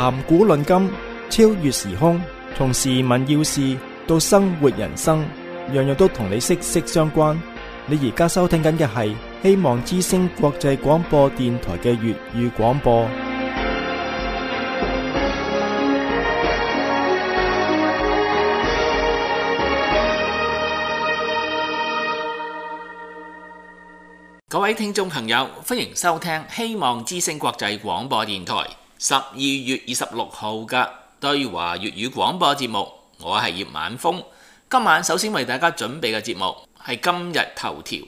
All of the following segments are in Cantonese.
談古論今，超越時空，從時聞要事到生活人生，樣樣都同你息息相關。你而家收聽緊嘅係希望之聲國際廣播電台嘅粵語廣播。各位聽眾朋友，歡迎收聽希望之聲國際廣播電台12月26號嘅對華粵語廣播節目。我係葉晚風，今晚首先為大家準備嘅節目係今日頭條。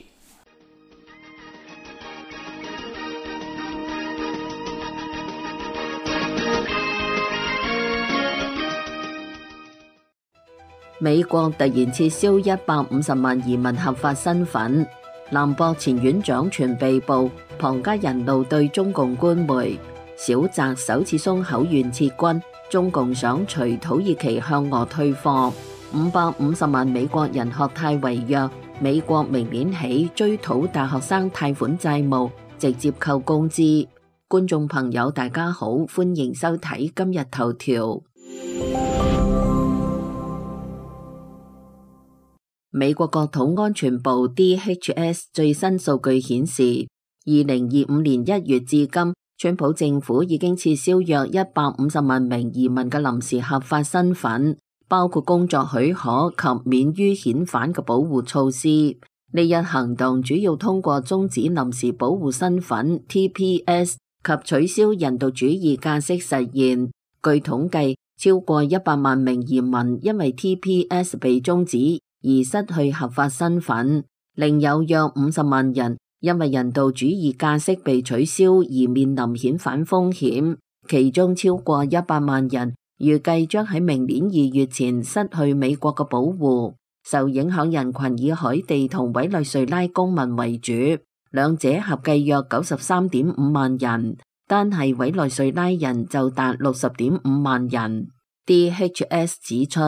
美國突然撤銷150萬移民合法身份。南博前院長傳被捕，龐家人怒對中共官媒。小澤首次鬆口願撤軍，中共想隨土耳其向俄退貨。550萬美國人學貸違約，美國明年起追討大學生貸款債務，直接扣工資。觀眾朋友大家好，歡迎收睇今日頭條。美國國土安全部 DHS 最新數據顯示，2025年1月至今，川普政府已經撤銷約150萬名移民嘅臨時合法身份，包括工作許可及免於遣返嘅保護措施。呢一行動主要通過終止臨時保護身份 TPS 及取消人道主義假釋實現。據統計，超過100萬名移民因為 TPS 被終止而失去合法身份，另有約50萬人因為人道主義假釋被取消而面臨遣返風險，其中超過100萬人預計將喺明年2月前失去美國嘅保護。受影響人群以海地同委內瑞拉公民為主，兩者合計約93.5萬人，單係委內瑞拉人就達60.5萬人。DHS 指出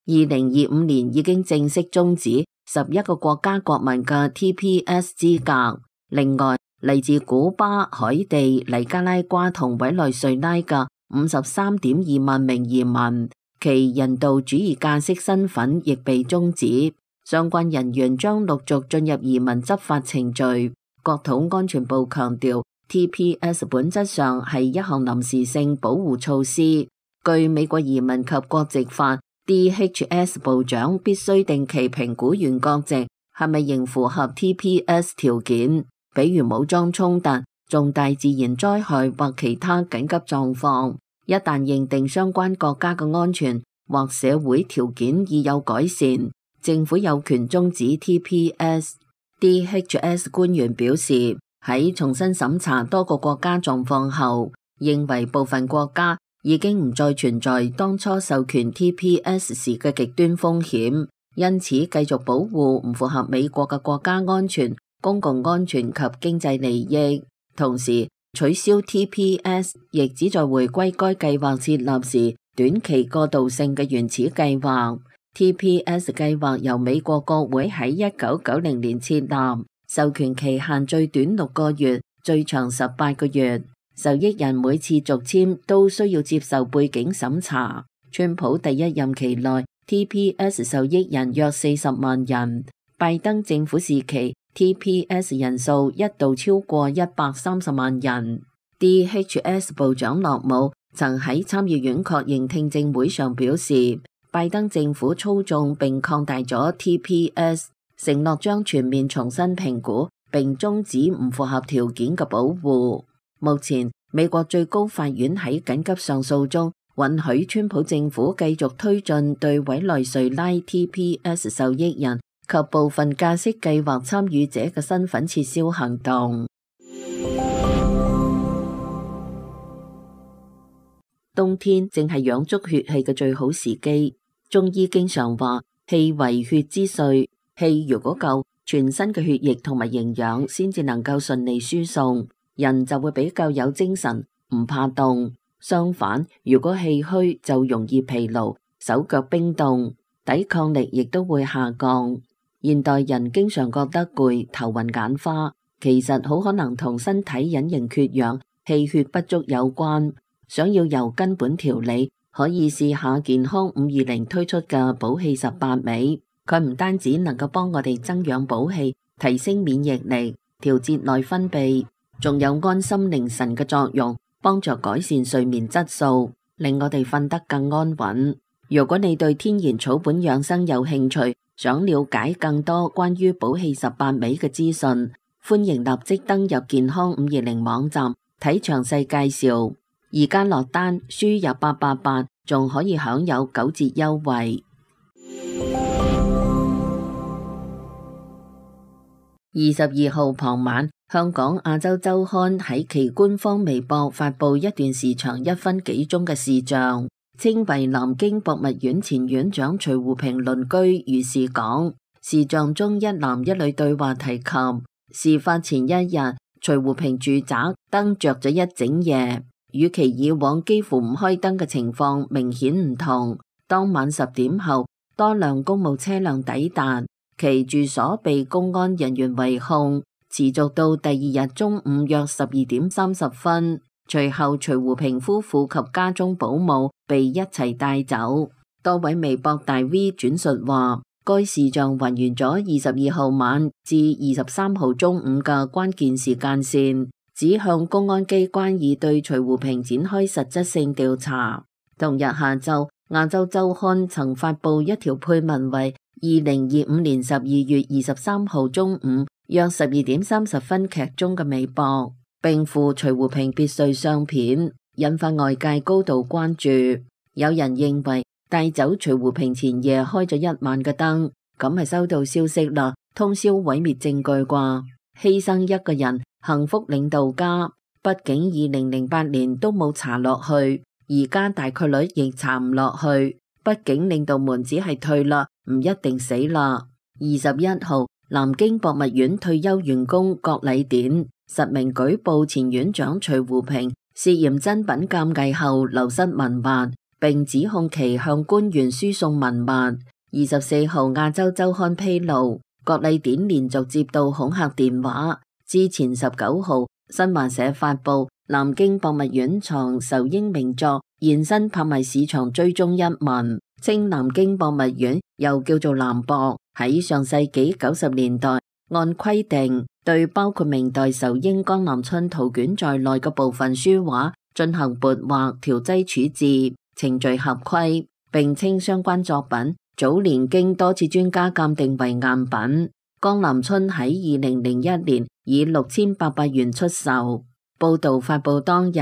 ，2025年已經正式終止11個國家國民嘅 TPS 資格。另外，嚟自古巴、海地、尼加拉瓜同委內瑞拉嘅53.2萬名移民，其人道主義假釋身份亦被終止。相關人員將陸續進入移民執法程序。國土安全部強調 ，TPS 本質上係一項臨時性保護措施。據美國移民及國籍法，DHS 部長必須定期評估原國籍係咪仍符合 TPS 條件，比如武裝衝突、重大自然災害或其他緊急狀況。一旦認定相關國家嘅安全或社會條件已有改善，政府有權終止 TPS。DHS 官員表示，喺重新審查多個國家狀況後，認為部分國家已經唔再存在當初授權 TPS 時嘅極端風險，因此繼續保護唔符合美國嘅國家安全、公共安全及經濟利益。同時，取消 TPS 亦旨在回歸該計劃設立時短期過渡性嘅原始計劃。TPS 計劃由美國國會喺1990年設立，授權期限最短6個月，最長18個月。受益人每次續簽都需要接受背景審查。川普第一任期內 TPS 受益人約40萬人，拜登政府時期 TPS 人數一度超過130萬人。DHS 部長諾姆曾喺參議院確認聽證會上表示，拜登政府操縱並擴大咗 TPS， 承諾將全面重新評估並終止唔符合條件嘅保護。目前，美國最高法院喺緊急上訴中允許川普政府繼續推進對委內瑞拉 TPS 受益人及部分假釋計劃參與者嘅身份撤銷行動。冬天正係養足血氣嘅最好時機。中醫經常話，氣為血之髓，氣如果夠，全身嘅血液同埋營養先至能夠順利輸送。人就會比較有精神，唔怕凍。相反，如果氣虛就容易疲勞，手腳冰凍，抵抗力亦都會下降。現代人經常覺得攰、頭暈眼花，其實好可能同身體隱形缺氧、氣血不足有關。想要由根本調理，可以試下健康520推出嘅補氣18味。佢唔單止能夠幫我哋增養補氣，提升免疫力，調節內分泌，仲有安心寧神嘅作用，幫助改善睡眠質素，令我哋瞓得更安穩。如果你對天然草本養生有興趣，想了解更多關於補氣18味嘅資訊，歡迎立即登入健康520網站睇詳細介紹。而家落單輸入888，仲可以享有9折優惠。22號傍晚，香港亞洲週刊喺其官方微博發布一段時長1分幾鐘嘅視像，稱為南京博物院前院長徐湖平鄰居如是講。視像中一男一女對話提及，事發前一日，徐湖平住宅燈着咗一整夜，與其以往幾乎唔開燈嘅情況明顯唔同。當晚10點後，多輛公務車輛抵達，其住所被公安人員圍控，持續到第二日中午約12點30分。隨後徐湖平夫婦及家中保姆被一齊帶走。多位微博大 V 轉述話，該視像還原咗22號晚至23號中午嘅關鍵時間線，指向公安機關已對徐湖平展開實質性調查。同日下晝，亞洲週刊曾發布一條配文為2025年12月23號中午約12點30分劇中嘅微博，並附徐湖平別墅相片，引發外界高度關注。有人認為帶走徐湖平前夜開咗1晚嘅燈，咁係收到消息啦，通宵毀滅證據啩？犧牲一個人，幸福領導家。畢竟2008年都冇查落去，而家大概率亦查唔落去。畢竟領導們只係退啦，唔一定死啦。21號，南京博物院退休員工郭禮典實名舉報前院長徐湖平涉嫌珍品鑑計後流失文物，並指控其向官員輸送文物。24號，亞洲週刊披露，郭禮典連續接到恐嚇電話。之前19號，新華社發布南京博物院藏仇英名作現身拍賣市場追蹤一文，稱南京博物院又叫做南博，喺上世紀90年代按規定對包括明代仇英江南春圖卷在內嘅部分書畫進行撥畫調劑處置，程序合規，並稱相關作品早年經多次專家鑑定為贋品。江南春喺2001年以6800元出售。報道發布當日，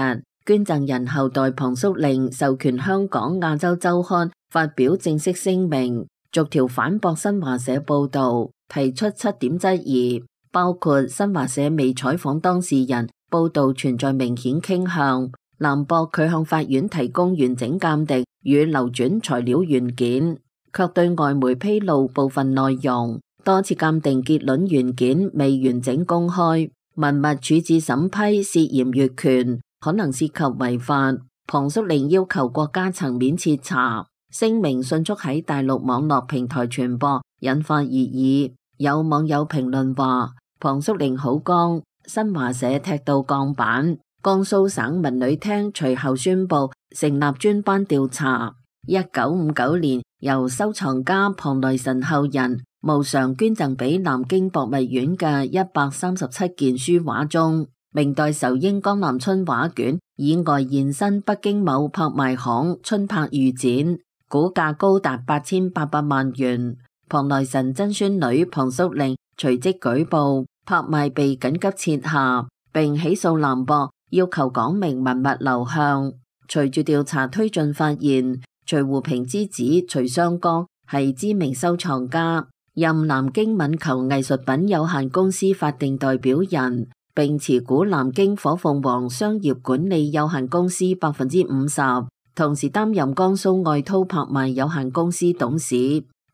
捐贈人後代龐叔令授權香港亞洲週刊發表正式聲明，逐條反駁新華社報道，提出7點質疑，包括新華社未採訪當事人，報道存在明顯傾向；南博佢向法院提供完整鑑定與流轉材料原件，卻對外媒披露部分內容。多次鑑定結論原件未完整公開，文物處置審批涉嫌越權，可能涉及違法。龐叔令要求國家層面徹查，聲明迅速喺大陸網絡平台傳播，引發熱議。有網友評論話，龐叔令好剛，新華社踢到鋼板。江蘇省文旅廳隨後宣布成立專班調查。1959年由收藏家龐來臣後人無償捐贈俾南京博物院嘅137件書畫中，明代仇英江南春畫卷以外現身北京某拍賣行春拍預展，估價高達8800萬元。龐來臣曾孫女龐叔令隨即舉報，拍賣被緊急撤下，並起訴南博，要求講明文物流向。隨住調查推進，發現徐湖平之子徐雙江係知名收藏家，任南京敏球藝術品有限公司法定代表人，並持股南京火鳳凰商業管理有限公司50%，同時擔任江蘇愛濤拍賣有限公司董事，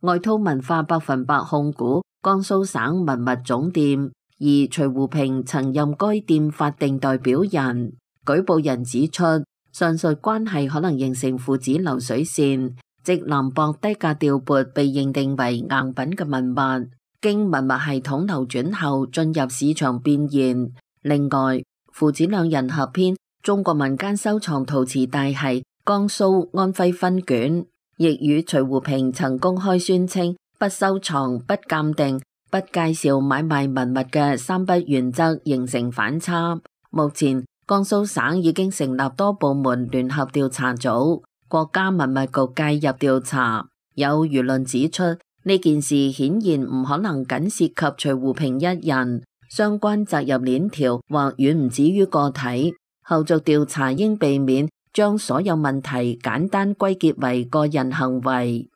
愛濤文化100%控股江蘇省文物總店，而徐湖平曾任該店法定代表人。舉報人指出，上述關係可能形成父子流水線，即南博低價調撥被認定為贋品嘅文物，經文物系統流轉後進入市場變現。另外，父子兩人合編中國民間收藏陶瓷大系江蘇安徽分卷，亦與徐湖平曾公開宣稱不收藏、不鑑定、不介紹買賣文物嘅三不原則形成反差。目前江蘇省已經成立多部門聯合調查組，國家文物局介入調查。有輿論指出，呢件事顯然唔可能僅涉及徐湖平一人，相關責任鏈條或遠唔止於個體。後續調查應避免將所有問題簡單歸結為個人行為。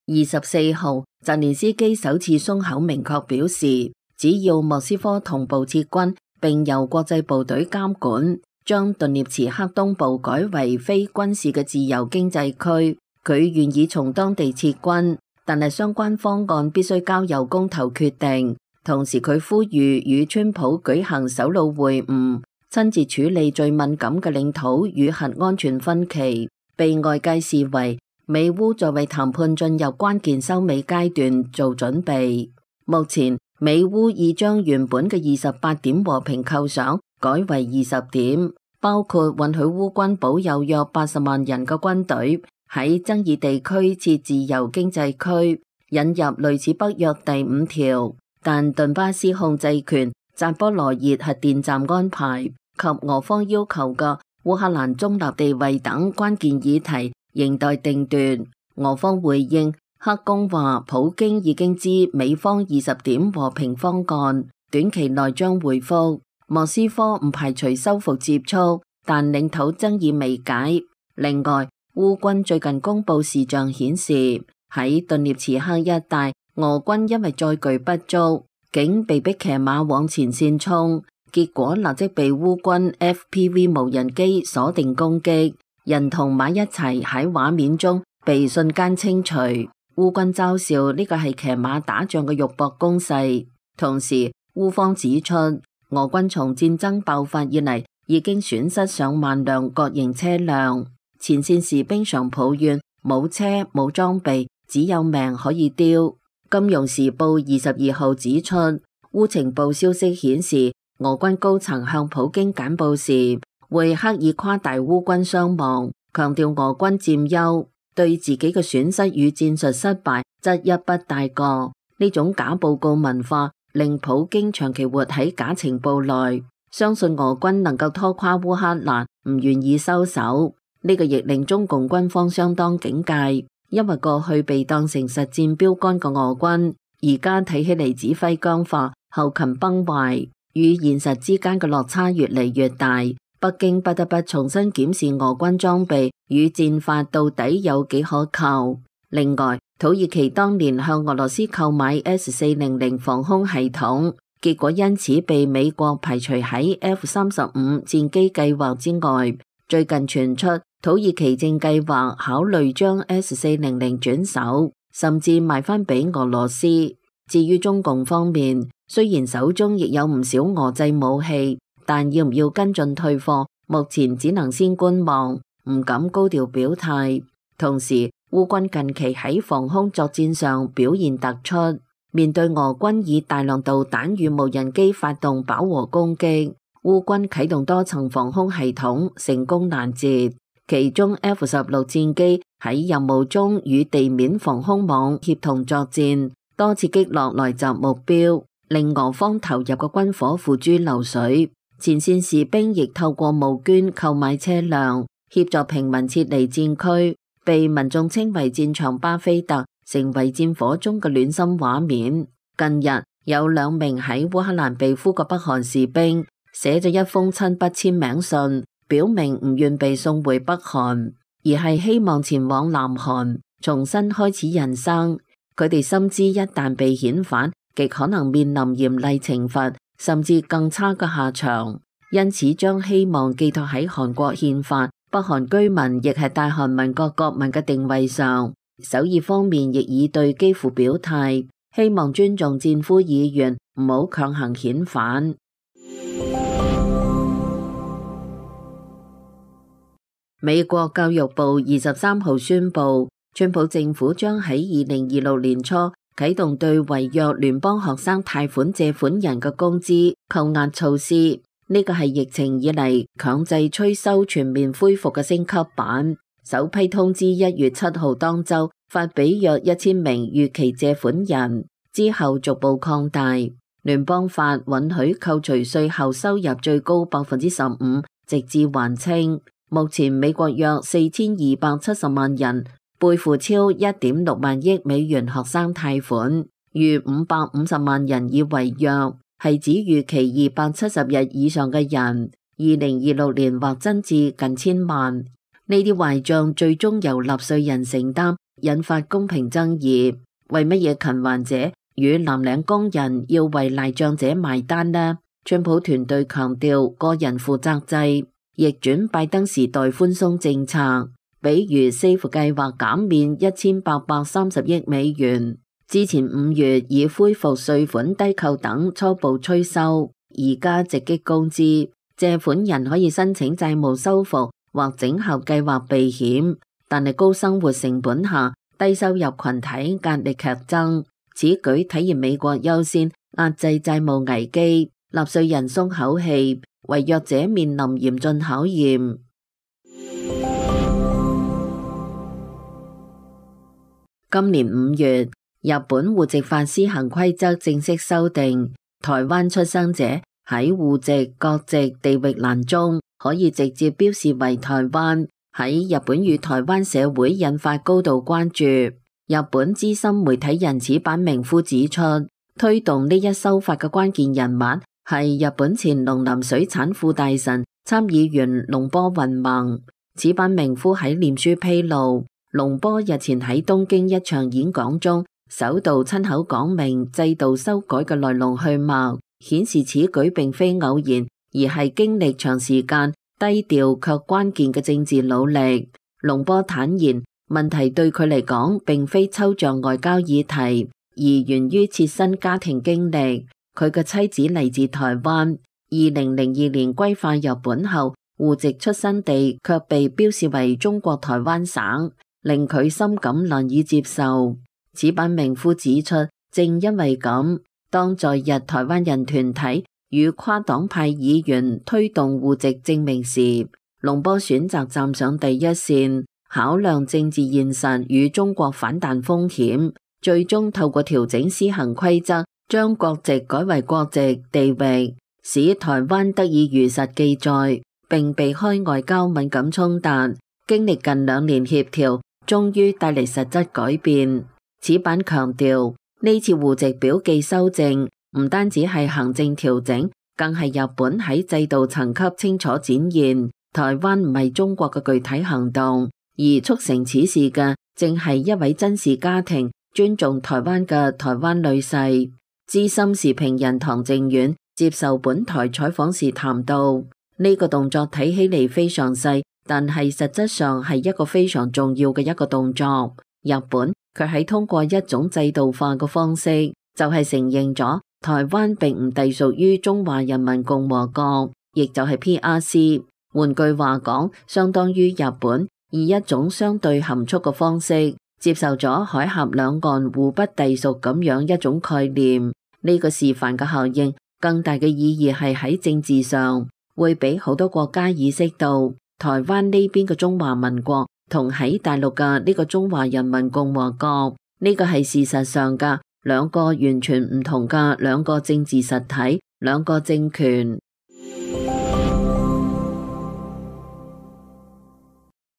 24號，澤連斯基首次鬆口明確表示，只要莫斯科同步撤軍並由國際部隊監管，將頓涅茨克東部改為非軍事嘅自由經濟區，佢願意從當地撤軍，但係相關方案必須交由公投決定。同時佢呼籲與川普舉行首腦會晤，親自處理最敏感嘅領土與核安全分歧，被外界視為美烏在為談判進入關鍵收尾階段做準備。目前美烏已將原本嘅28點和平構想改為20點，包括允許烏軍保有約80萬人嘅軍隊喺爭議地區設自由經濟區，引入類似北約第5條，但頓巴斯控制權、扎波羅熱核電站安排及俄方要求嘅烏克蘭中立地位等關鍵議題仍待定奪。俄方回應，克宮話普京已經知美方20點和平方案，短期內將回覆。莫斯科唔排除修復接觸，但領土爭議未解。另外，烏軍最近公布視像顯示，喺頓涅茨克一帶，俄軍因為載具不足，竟被迫騎馬往前線衝，結果立即被烏軍 FPV 無人機鎖定攻擊，人同馬一齊喺畫面中被瞬間清除。烏軍嘲笑呢個係騎馬打仗嘅肉搏攻勢。同時，烏方指出，俄軍從戰爭爆發以嚟已經損失上萬輛各型車輛，前線士兵常抱怨冇車冇裝備，只有命可以丟。金融時報22號指出，烏情報消息顯示，俄軍高層向普京簡報時會刻意誇大烏軍傷亡，強調俄軍佔優，對自己嘅損失與戰術失敗則一筆帶過。呢種假報告文化令普京長期活喺假情報內，相信俄軍能夠拖垮烏克蘭，唔願意收手。呢個亦令中共軍方相當警戒，因為過去被當成實戰標杆嘅俄軍，而家睇起嚟指揮僵化、後勤崩壞，與現實之間嘅落差越嚟越大。北京不得不重新檢視俄軍裝備與戰法到底有幾可靠。另外，土耳其當年向俄羅斯購買 S400防空系統，結果因此被美國排除喺 F-35戰機計劃之外。最近傳出土耳其正計劃考慮將 S400轉手，甚至賣翻俾俄羅斯。至於中共方面，雖然手中亦有唔少俄製武器，但要唔要跟進退貨，目前只能先觀望，唔敢高調表態。同時，烏軍近期喺防空作戰上表現突出，面對俄軍以大量導彈與無人機發動飽和攻擊，烏軍啟動多層防空系統，成功攔截。其中 F-16戰機喺任務中與地面防空網協同作戰，多次擊落來襲目標，令俄方投入嘅軍火付諸流水。前線士兵亦透過募捐購買車輛，協助平民撤離戰區，被民眾稱為戰場巴菲特，成為戰火中嘅暖心畫面。近日有2名喺烏克蘭被俘嘅北韓士兵寫咗一封親筆簽名信，表明唔願被送回北韓，而係希望前往南韓重新開始人生。佢哋深知一旦被遣返，極可能面臨嚴厲懲罰，甚至更差嘅下場，因此將希望寄託喺韓國憲法、北韓居民亦係大韓民國國民嘅定位上。首爾方面亦已對基輔表態，希望尊重戰俘意願，唔好強行遣返。美國教育部23號宣布，川普政府將喺2026年初啟動對違約聯邦學生貸款借款人嘅工資扣押措施。呢個係疫情以嚟強制催收全面恢復嘅升級版。首批通知1月7號當週發俾約1000名逾期借款人，之後逐步擴大。聯邦法允許扣除稅後收入最高15%，直至還清。目前美國約4270萬人背負超1.6萬億美元學生貸款，逾550萬人已違約，係指逾期270日以上嘅人，2026年或增至近1000萬。呢啲壞賬最終由納稅人承擔，引發公平爭議。為乜嘢勤還者與藍領工人要為賴賬者埋單呢？川普團隊強調個人負責制，逆轉拜登時代寬鬆政策，比如 SAFE 計劃減免1830億美元，之前5月已恢復稅款低扣等初步催收，而家直擊工資，借款人可以申請債務修復或整合計劃避險，但係高生活成本下，低收入群體壓力劇增。此舉體現美國優先壓制債務危機，納稅人鬆口氣，違約者面臨嚴峻考驗。今年5月，日本戶籍法施行規則正式修訂，台灣出生者喺戶籍、國籍、地域欄中可以直接標示為台灣，喺日本與台灣社會引發高度關注。日本資深媒體人矢板明夫指出，推動呢一修法嘅關鍵人物係日本前農林水產副大臣、參議員龍波雲萌。矢板明夫喺臉書披露，龍波日前喺東京一場演講中，首度親口講明制度修改嘅來龍去脈，顯示此舉並非偶然，而係經歷長時間低調卻關鍵嘅政治努力。龍波坦言，問題對佢嚟講並非抽象外交議題，而源於切身家庭經歷。佢嘅妻子嚟自台灣，2002年歸化日本後，戶籍出生地卻被標示為中國台灣省，令佢深感難以接受。矢板明夫指出，正因為咁，當在日台灣人團體與跨黨派議員推動戶籍證明時，龍波選擇站上第一線，考量政治現實與中國反彈風險，最終透過調整施行規則，將國籍改為國籍地域，使台灣得以如實記載，並避開外交敏感衝突。經歷近2年協調，終於帶嚟實質改變。矢板強調，呢次戶籍表記修正唔單止係行政調整，更係日本喺制度層級清楚展現台灣唔係中國嘅具體行動。而促成此事嘅，正係一位真實家庭尊重台灣嘅台灣女婿。資深時評人唐靖遠接受本台採訪時談到，呢個動作睇起嚟非常細，但係實質上係一個非常重要嘅一個動作。日本佢喺通過一種制度化嘅方式，就係承認咗台灣並唔隸屬於中華人民共和國，亦就係 PRC。換句話講，相當於日本以一種相對含蓄嘅方式接受咗海峽兩岸互不隸屬咁樣一種概念。呢個示範嘅效應更大嘅意義係喺政治上，會俾好多國家意識到台灣呢邊嘅中華民國同喺大陸嘅呢個中華人民共和國，呢個係事實上嘅兩個完全唔同嘅兩個政治實體，兩個政權。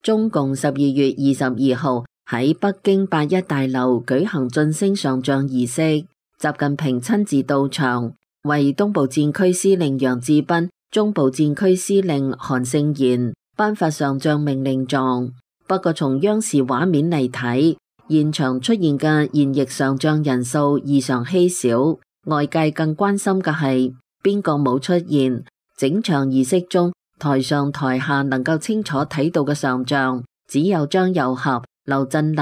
中共12月22號喺北京8·1大樓舉行晉升上將儀式，習近平親自到場，為東部戰區司令楊志斌、中部戰區司令韓勝賢頒發上將命令狀。不過從央視畫面嚟睇，現場出現嘅現役上將人數異常稀少，外界更關心嘅係邊個冇出現。整場儀式中，台上台下能夠清楚睇到嘅上將只有張又俠、劉振立、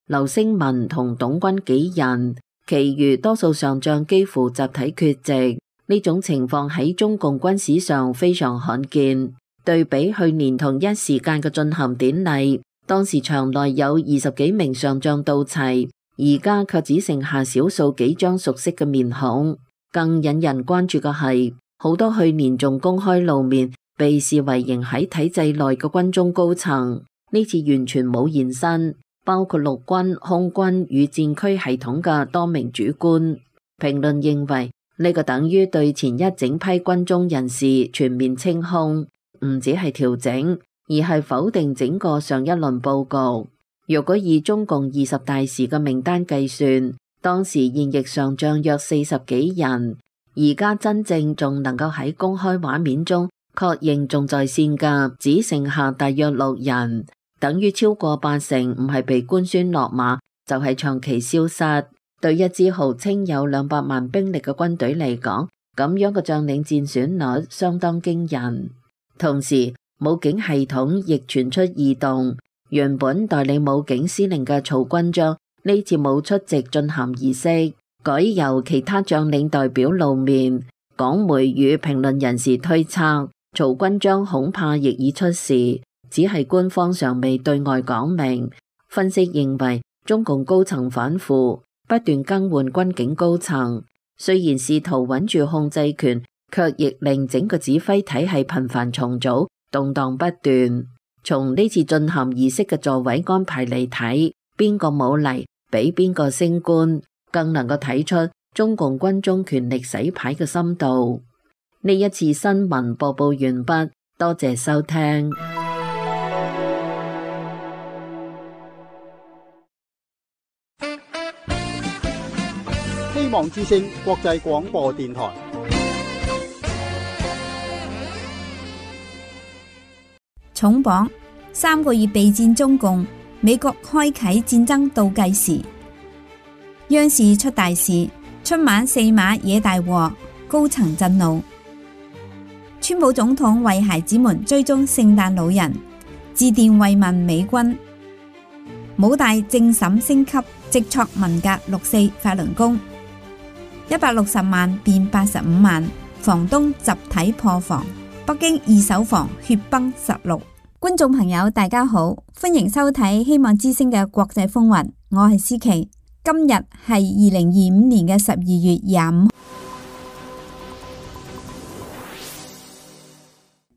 劉聲文同董軍幾人，其餘多數上將幾乎集體缺席。呢種情況喺中共軍史上非常罕見。對比去年同一時間嘅進行典禮，當時場內有20幾名上將到齊，而家卻只剩下少數幾張熟悉嘅面孔。更引人關注嘅係，好多去年仲公開露面，被視為仍喺體制內嘅軍中高層，呢次完全冇現身，包括陸軍、空軍與戰區系統嘅多名主官。評論認為，呢個等於對前一整批軍中人士全面清空，唔只係調整，而係否定整個上一輪佈局。若果以中共20大時嘅名單計算，當時現役上將約40幾人，而家真正仲能夠喺公開畫面中確認仲在線嘅，只剩下大約6人，等於超過80%唔係被官宣落馬，就係長期消失。對一支號稱有200萬兵力嘅軍隊嚟講，咁樣嘅將領戰損率相當驚人。同時，武警系統亦傳出異動。原本代理武警司令嘅曹軍章呢次冇出席進涵儀式，改由其他將領代表露面。港媒與評論人士推測，曹軍章恐怕亦已出事，只係官方尚未對外講明。分析認為，中共高層反腐，不斷更換軍警高層，雖然試圖穩住控制權，卻亦令整個指揮體系頻繁重組，動盪不斷。從呢次進涵儀式嘅座位安排嚟睇，邊個冇嚟，俾邊個升官，更能夠睇出中共軍中權力洗牌嘅深度。呢一次新聞播報完畢，多謝收聽。希望之聲國際廣播電台。重磅3個月備戰中共，美國開啟戰爭倒計時。央視出大事，春晚4碼惹大禍，高層震怒。川普總統為孩子們追蹤聖誕老人，致電慰問美軍。武大政審升級，直挫文革6·4法輪功。160萬變85萬，房東集體破房。北京二手房血崩16。觀眾朋友大家好，歡迎收睇希望之聲嘅國際風雲，我係思琪。今日係2025年嘅12月25。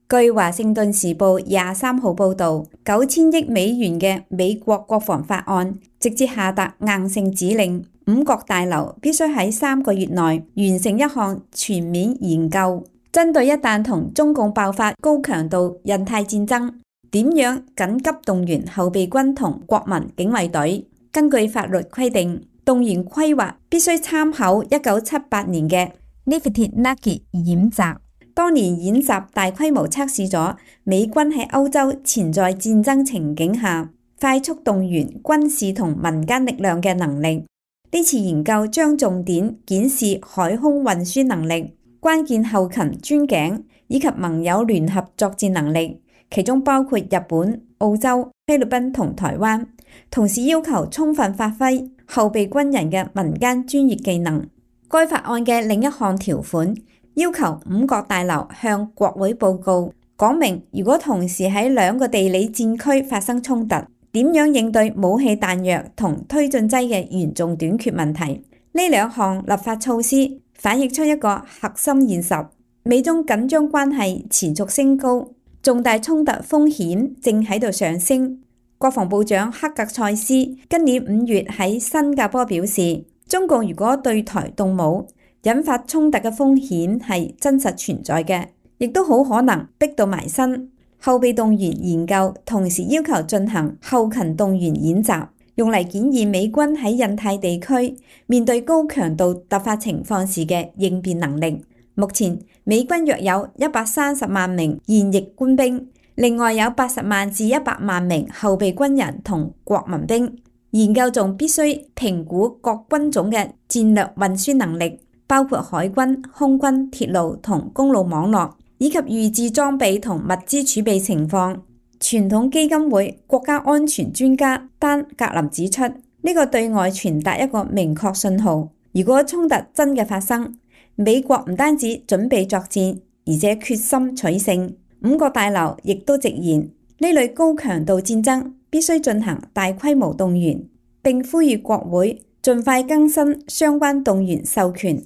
據華盛頓時報23號報道，9000億美元嘅美國國防法案直接下達硬性指令，5角大樓必須喺3個月內完成一項全面研究，針對一旦同中共爆發高強度印太戰爭，點樣緊急動員後備軍同國民警衛隊？根據法律規定，動員規劃必須參考1978年嘅 Lifted Nugget 演習。當年演習大規模測試咗美軍喺歐洲潛在戰爭情景下快速動員軍事同民間力量嘅能力。呢次研究將重點檢視海空運輸能力、關鍵後勤鑽井以及盟友聯合作戰能力，其中包括日本、澳洲、菲律賓同台灣。同時要求充分發揮後備軍人嘅民間專業技能。該法案嘅另一項條款要求5角大樓向國會報告，講明如果同時喺2個地理戰區發生衝突，點樣應對武器彈藥同推進劑嘅嚴重短缺問題。呢2項立法措施反映出一個核心現實：美中緊張關係持續升高，重大衝突風險正喺度上升。國防部長克格塞斯今年5月喺新加坡表示，中共如果對台動武，引發衝突嘅風險係真實存在嘅，亦都好可能逼到埋身。後備動員研究同時要求進行後勤動員演習，用嚟檢驗美軍喺印太地區面對高強度突發情況時嘅應變能力。目前美軍約有130萬名現役官兵，另外有80萬至100萬名後備軍人同國民兵。研究仲必須評估各軍種嘅戰略運輸能力，包括海軍、空軍、鐵路同公路網絡，以及預置裝備同物資儲備情況。傳統基金會國家安全專家丹格林指出，呢個對外傳達一個明確信號：如果衝突真嘅發生，美國唔單止準備作戰，而且決心取勝。5角大樓亦都直言，呢類高強度戰爭必須進行大規模動員，並呼籲國會盡快更新相關動員授權。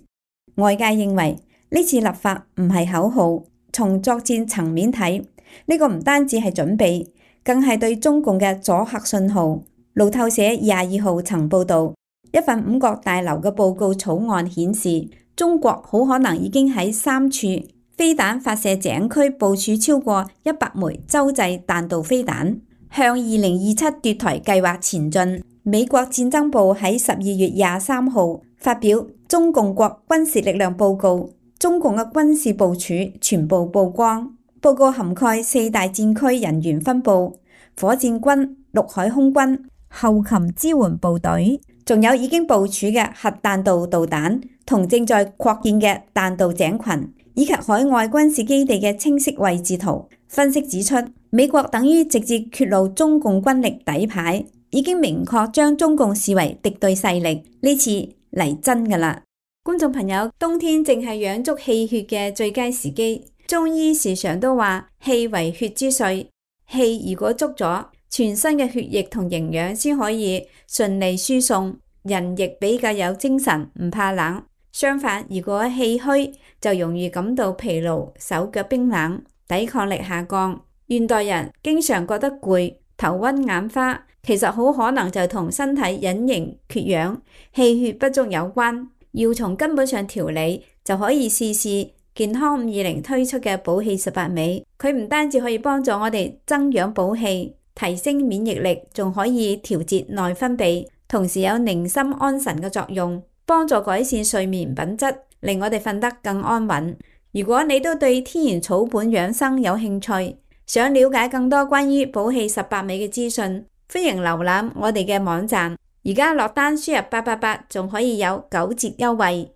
外界認為呢次立法唔係口號，從作戰層面睇，呢個唔單止係準備，更係對中共嘅阻嚇信號。路透社22號曾報導，一份五角大樓嘅報告草案顯示，中國好可能已經喺3處飛彈發射井區部署超過100枚洲際彈道飛彈，向2027奪台計劃前進。美國戰爭部喺12月23號發表中共國軍事力量報告，中共嘅軍事部署全部曝光。報告涵蓋4大戰區人員分佈、火箭軍、陸海空軍、後勤支援部隊，仲有已經部署嘅核彈道導彈同正在擴建嘅彈道井群，以及海外軍事基地嘅清晰位置圖。分析指出，美國等於直接揭露中共軍力底牌，已經明確將中共視為敵對勢力。呢次嚟真㗎啦！觀眾朋友，冬天正係養足氣血嘅最佳時機。中醫時常都話氣為血之髓，氣如果足咗，全身嘅血液同營養先可以順利輸送，人亦比較有精神，唔怕冷。相反，如果氣虛，就容易感到疲勞、手腳冰冷、抵抗力下降。現代人經常覺得攰、頭暈眼花，其實好可能就同身體隱形缺氧、氣血不足有關。要從根本上調理，就可以試試健康520推出嘅補氣18味。佢唔單止可以幫助我哋增氧補氣、提升免疫力，仲可以調節內分泌，同時有寧心安神嘅作用，幫助改善睡眠品質，令我哋瞓得更安穩。如果你都對天然草本養生有興趣，想了解更多關於補氣18味嘅資訊，歡迎瀏覽我哋嘅網站。而家落單輸入888，仲可以有9折優惠。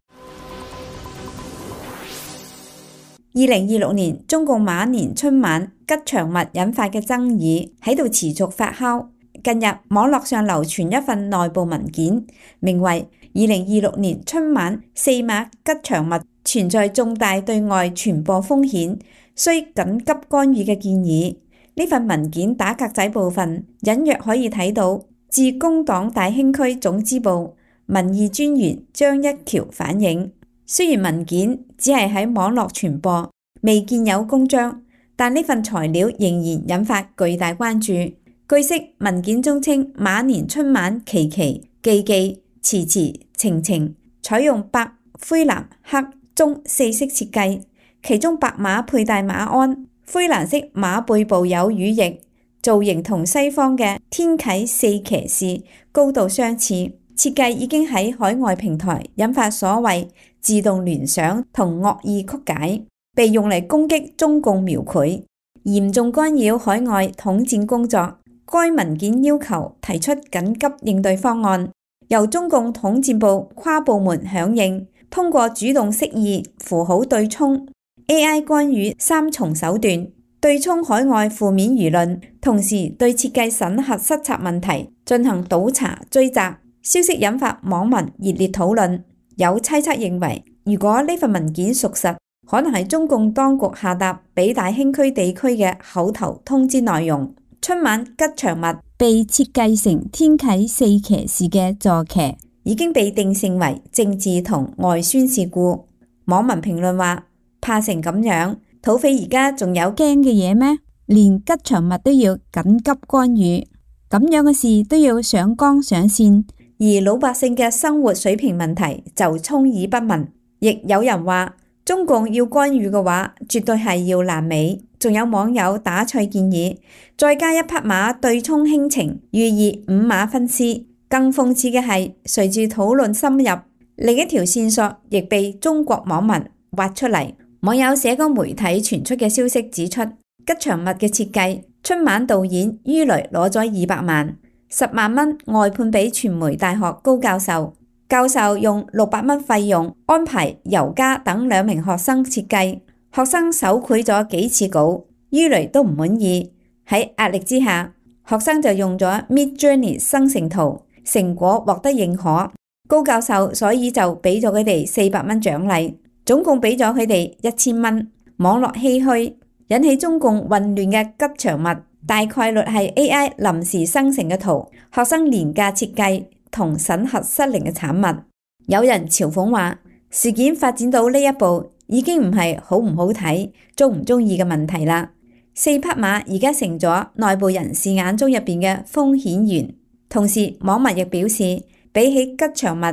2026年中共馬年春晚吉祥物引發嘅爭議喺度持續發酵。近日網絡上流傳一份內部文件，名為2026年春晚4碼吉祥物存在重大對外傳播風險，需緊急干預嘅建議。呢份文件打格仔部分隱約可以睇到，自工黨大興區總支部民意專員張一橋反映，雖然文件只係喺網絡傳播，未見有公章，但呢份材料仍然引發巨大關注。據悉，文件中稱馬年春晚期期、記記、遲遲、晴晴採用白、灰藍、黑、棕4色設計，其中白馬佩戴馬鞍，灰藍色馬背部有羽翼，造型同西方嘅天啟4騎士高度相似。設計已經喺海外平台引發所謂自動聯想同惡意曲解，被用嚟攻擊中共描繪，嚴重干擾海外統戰工作。該文件要求提出緊急應對方案，由中共統戰部跨部門響應，通過主動釋義、符號對沖、AI 干預3重手段，對沖海外負面輿論，同時對設計審核失策問題進行倒查追責。消息引發網民熱烈討論，有猜測認為，如果呢份文件屬實，可能係中共當局下達俾大興區地區嘅口頭通知內容。春晚吉祥物被設計成天啟4騎士嘅坐騎，已經被定性為政治同外宣事故。網民評論話：怕成咁樣，土匪而家仲有驚嘅嘢咩？連吉祥物都要緊急干預，咁樣嘅事都要上綱上線，而老百姓嘅生活水平問題就充耳不聞。亦有人話，中共要干預嘅話，絕對係要爛尾。仲有網友打趣建議，再加一匹馬對沖輕情，寓意5馬分屍。更諷刺嘅係，隨住討論深入，另一條線索亦被中國網民挖出嚟。網友社交媒體傳出嘅消息指出，吉祥物嘅設計，春晚導演于雷攞咗200萬，10萬蚊外判俾傳媒大學高教授，教授用600蚊費用安排尤嘉等2名學生設計。學生手繪咗幾次稿，于雷都唔滿意，喺壓力之下，學生就用咗 Midjourney 生成圖，成果獲得認可。高教授所以就俾咗佢哋400蚊獎勵，總共俾咗佢哋1000蚊。網絡唏噓，引起中共混亂嘅吉祥物，大概率係 AI 臨時生成嘅圖，學生廉價設計，同審核失靈嘅產物。有人嘲諷話，事件發展到呢一步，已經唔係好唔好睇、中唔中意嘅問題啦。4匹馬而家成咗內部人士眼中入邊嘅風險源。同時，網民亦表示，比起吉祥物，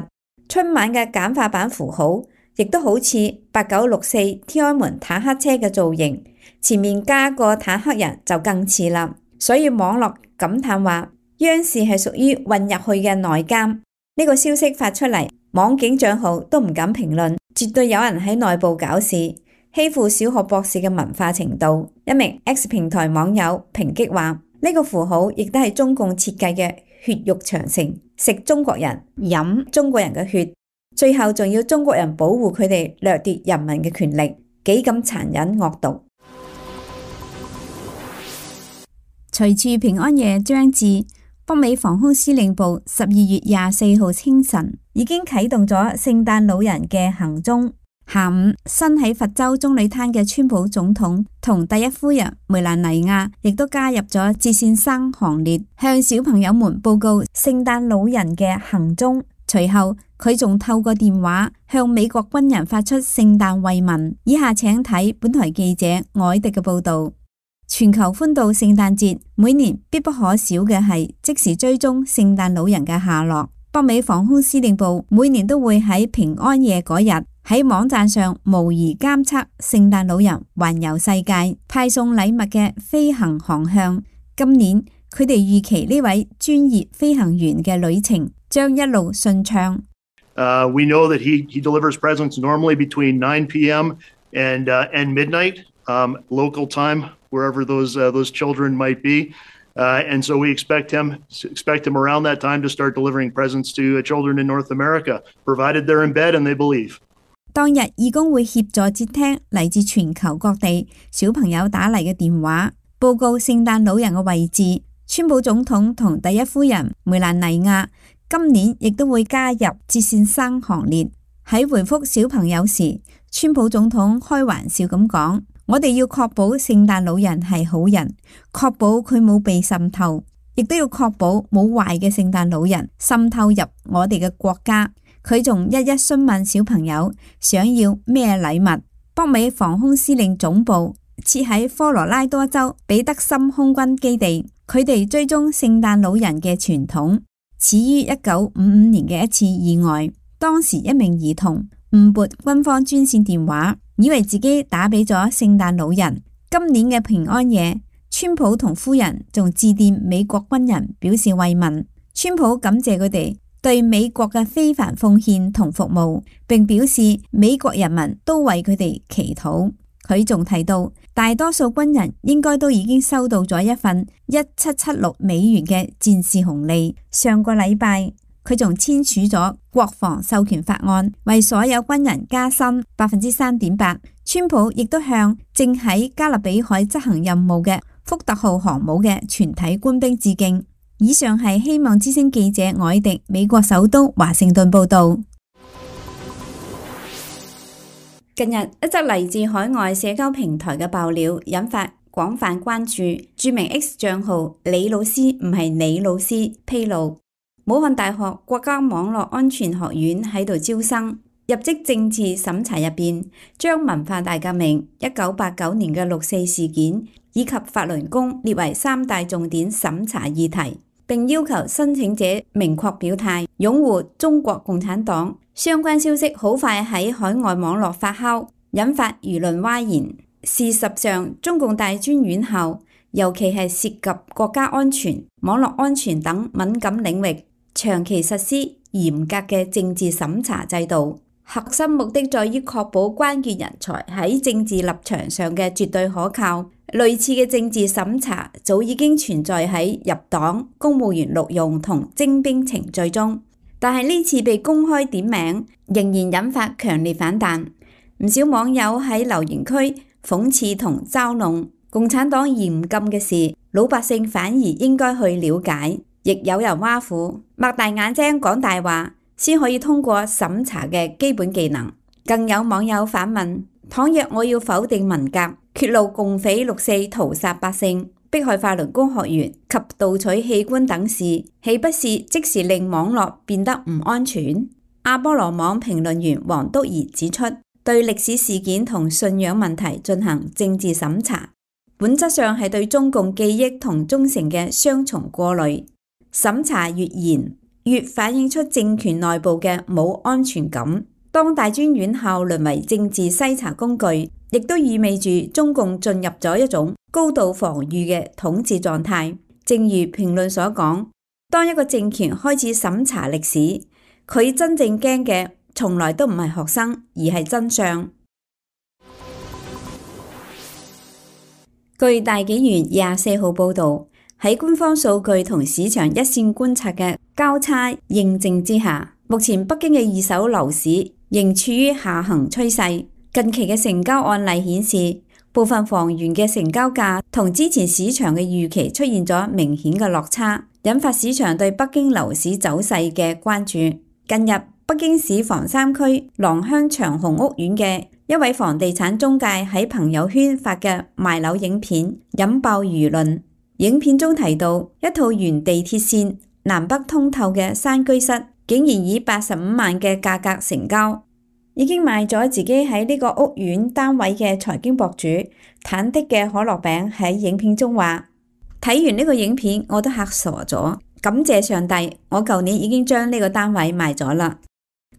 春晚嘅簡化版符號亦都好似8964天安門坦克車嘅造型，前面加個坦克人就更似啦。所以網絡感嘆話，央視係屬於混入去嘅內監。呢個消息發出嚟，網警賬號都唔敢評論，絕對有人喺內部搞事，欺負小學博士嘅文化程度。一名 X 平台網友抨擊話，呢個符號亦都係中共設計嘅血肉長城，食中國人，飲中國人嘅血，最後仲要中國人保護佢哋掠奪人民嘅權力，幾咁殘忍惡毒。隨住平安夜將至，北美防空司令部12月24號清晨已經啟動咗聖誕老人嘅行蹤。下午，身喺佛州棕櫚灘嘅川普總統同第一夫人梅蘭妮亞亦都加入咗接線生行列，向小朋友們報告聖誕老人嘅行蹤。隨後，佢仲透過電話向美國軍人發出聖誕慰問。以下請睇本台記者凱迪嘅報道。全球歡度聖誕節，每年必不可少嘅係即時追蹤聖誕老人嘅下落。北美防空司令部每年都會喺平安夜嗰日喺網站上模擬監測聖誕老人環遊世界、派送禮物嘅飛行航向。今年佢哋預期呢位專業飛行員嘅旅程將一路順暢。We know that he delivers presents normally between 9 p.m. and midnight local time, wherever those children might be. And so we expect him around that time to start delivering presents to children in North America, provided they're in bed and they believe. 當日義工會協助接聽嚟自全球各地小朋友打嚟嘅電話，報告聖誕老人嘅位置。川普總統同第一夫人梅蘭妮亞今年亦都會加入接線生行列。喺回覆小朋友時，川普總統開玩笑咁講：我哋要確保聖誕老人係好人，確保佢冇被滲透，亦都要確保冇壞嘅聖誕老人滲透入我哋嘅國家。佢仲一一詢問小朋友想要咩禮物。北美防空司令總部設喺科羅拉多州彼得森空軍基地，佢哋追蹤聖誕老人嘅傳統始於1955年嘅一次意外。當時一名兒童誤撥軍方專線電話，以為自己打俾咗聖誕老人。今年嘅平安夜，川普同夫人仲致電美國軍人表示慰問。川普感謝佢哋對美國嘅非凡奉獻同服務，並表示美國人民都為佢哋祈禱。佢仲提到，大多數軍人應該都已經收到咗一份1776美元嘅戰士紅利。上個禮拜，佢仲簽署咗國防授權法案，為所有軍人加薪3.8%。川普亦都向正喺加勒比海執行任務嘅福特號航母嘅全體官兵致敬。以上係希望之聲記者凱迪美國首都華盛頓報道。近日一則嚟自海外社交平台嘅爆料引發廣泛關注。著名 X 賬號李老師唔係李老師披露，武漢大學國家網絡安全學院喺度招生，入職政治審查入邊將文化大革命、1989年嘅6.4事件以及法輪功列為3大重點審查議題，並要求申請者明確表態擁護中國共產黨。相關消息好快喺海外網絡發酵，引發輿論譁然。事實上，中共大專院校尤其係涉及國家安全、網絡安全等敏感領域，長期實施嚴格嘅政治審查制度，核心目的在於確保關鍵人才喺政治立場上嘅絕對可靠。類似嘅政治審查早已經存在喺入黨、公務員錄用同徵兵程序中，但係呢次被公開點名，仍然引發強烈反彈。唔少網友喺留言區諷刺同嘲弄共產黨嚴禁嘅事，老百姓反而應該去了解。亦有人挖苦擘大眼睛講大話先可以通過審查嘅基本技能。更有網友反問：倘若我要否定文革，揭露共匪6.4屠殺百姓，迫害法輪功學員及盜取器官等事，豈不是即時令網絡變得唔安全？阿波羅網評論員黃督儀指出，對歷史事件同信仰問題進行政治審查，本質上係對中共記憶同忠誠嘅雙重過濾。審查越嚴，越反映出政權內部嘅冇安全感。當大專院校淪為政治篩查工具，亦都意味住中共進入咗一種高度防禦嘅統治狀態。正如評論所講，當一個政權開始審查歷史，佢真正驚嘅從來都唔係學生，而係真相。據大紀元24號報導，喺官方數據同市場一線觀察嘅交叉認證之下，目前北京嘅二手樓市仍處於下行趨勢。近期嘅成交案例顯示，部分房源嘅成交價同之前市場嘅預期出現咗明顯嘅落差，引發市場對北京樓市走勢嘅關注。近日，北京市房山區廊坊長虹屋苑嘅一位房地產中介喺朋友圈發嘅賣樓影片引爆輿論。影片中提到，一套沿地鐵線南北通透嘅山居室，竟然以85萬嘅價格成交。已經賣咗自己喺呢個屋苑單位嘅財經博主忐忑嘅可樂餅喺影片中話：睇完呢個影片我都嚇傻咗，感謝上帝，我舊年已經將呢個單位賣咗啦。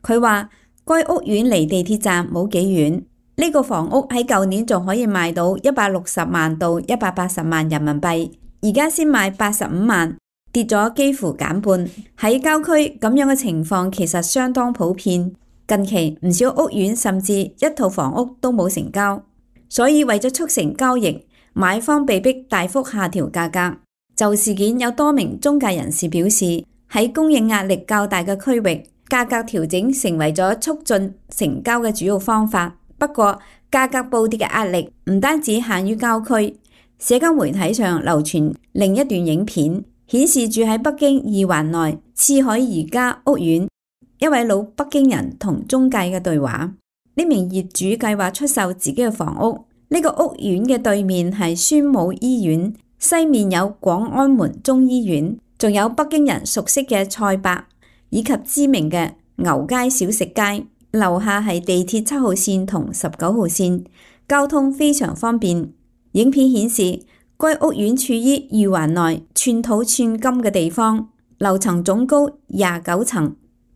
佢話該屋苑離地鐵站冇幾遠，呢個房屋喺舊年仲可以賣到160萬到180萬人民幣，而家先賣85萬，跌咗幾乎減半。喺郊區咁樣嘅情況其實相當普遍。近期唔少屋苑甚至一套房屋都冇成交，所以為咗促成交易，買方被迫大幅下調價格。就事件有多名中介人士表示，喺供應壓力較大嘅區域，價格調整成為咗促進成交嘅主要方法。不過，價格暴跌嘅壓力唔單止限於郊區，社交媒體上流傳另一段影片，顯示住喺北京二環內賜海宜家屋苑一位老北京人同中介嘅對話。呢名業主計劃出售自己嘅房屋，呢個屋苑嘅對面係宣武醫院，西面有廣安門中醫院，仲有北京人熟悉嘅菜百以及知名嘅牛街小食街，樓下係地鐵7號線同19號線，交通非常方便。影片顯示該屋苑處於二環內寸土寸金嘅地方，樓層總高29層。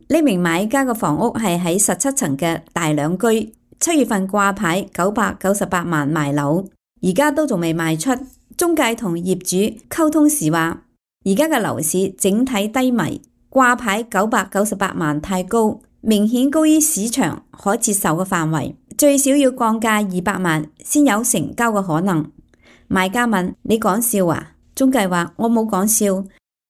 呢名買家嘅房屋係喺17層嘅大兩居，7月份掛牌998萬賣樓，而家都仲未賣出。中介同業主溝通時話，而家嘅樓市整體低迷，掛牌998萬太高，明顯高於市場可接受嘅範圍，最少要降價200萬先有成交嘅可能。買家問：你講笑啊？中介話：我冇講笑。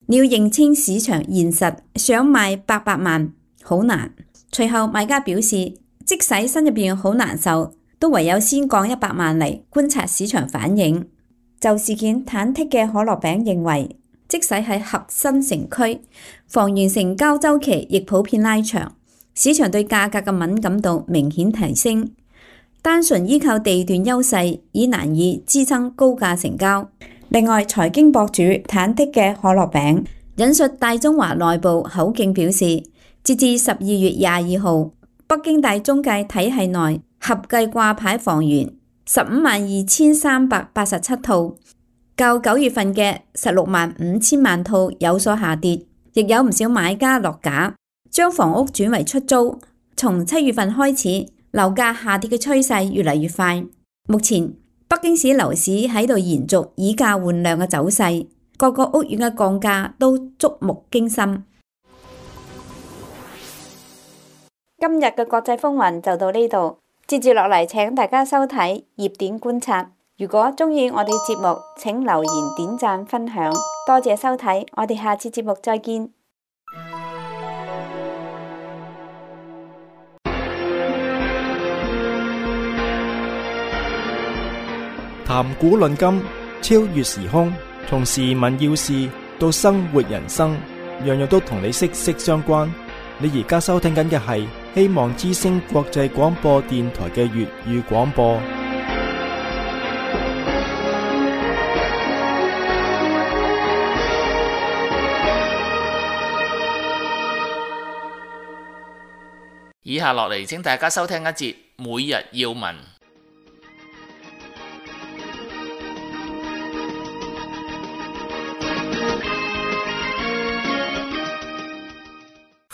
你要認清市場現實，想賣800萬好難。隨後買家表示，即使心入邊好難受，都唯有先降100萬嚟觀察市場反應。就事件忐忑嘅可樂餅認為，即使喺核心城區，房源成交周期亦普遍拉長，市場對價格嘅敏感度明顯提升。單純依靠地段優勢已難以支撐高價成交。另外，財經博主忐忑嘅可樂餅引述大中華內部口徑表示，截至12月22號，北京大中介體系內合計掛牌房源152,387套，較9月份嘅165,000萬套有所下跌，亦有唔少買家落架，將房屋轉為出租。從7月份開始，樓價下跌嘅趨勢越嚟越快。目前北京市樓市喺度延續以價換量嘅走勢，各個屋苑嘅降價都觸目驚心。今日嘅國際風雲就到呢度，接住落嚟請大家收睇熱點觀察。如果鍾意我哋節目，請留言、點讚、分享，多謝收睇，我哋下次節目再見。談古論今，超越時空，從時聞要事到生活人生，樣樣都同你息息相關。你而家收聽緊嘅係希望之聲國際廣播電台嘅粵語廣播。以下落嚟請大家收聽一節每日要聞。